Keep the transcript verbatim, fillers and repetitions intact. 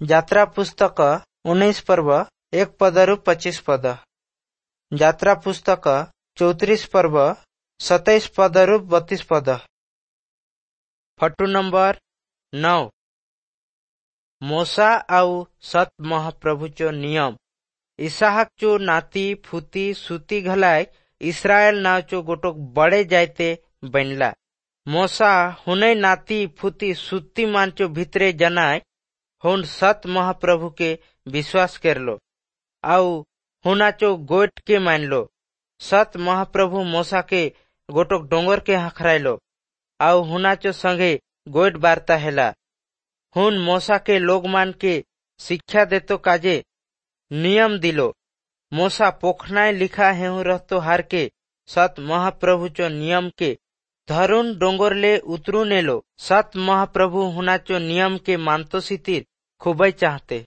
ଯାତ୍ରା ପୁସ୍ତକ ଉଣେଇଶ ପର୍ବ ଏକ ପଦରୁ ପଚିଶ ପଦ। ଯାତ୍ରା ପୁସ୍ତକ ଚଉତିରିଶ ପର୍ବ ସତେଇଶ ପଦରୁ ବତିଶ ପଦ। ଫଟୋ ନମ୍ବର ନଅ। ମୋଶା ଆଉ ସତ୍ ମହାପ୍ରଭୁଚୋ ନିୟମ। ଇସାହକ ଚୋ ନାତି ଫୁତି ସୁତି ଘଲାଏ ଇସ୍ରାଏଲ ନାଁଚୋ ଗୋଟୋକ ବଡ଼େ ଜାଇତେ ବନଲା। ମୋଶା हुनै नाती फुती सुती मानचो भितरे जनाय हुन सत महाप्रभु के विश्वास करलो आउ हुनाचो गोट के मानलो। सत महाप्रभु मोसा के गोटोक डोंगर के हखराइलो आउ हुनाचो संगे गोट वार्ता हेला। हुन मोसा के लोग मान के शिक्षा देतो काजे नियम दिलो। मोसा पोखनाय लिखा हेहु रहतो हार के सत महाप्रभु चो नियम के धरुण डोंगर ले उतरू नेलो। सत महाप्रभु हुनाचो नियम के मानतो सितिर खूबई चाहते।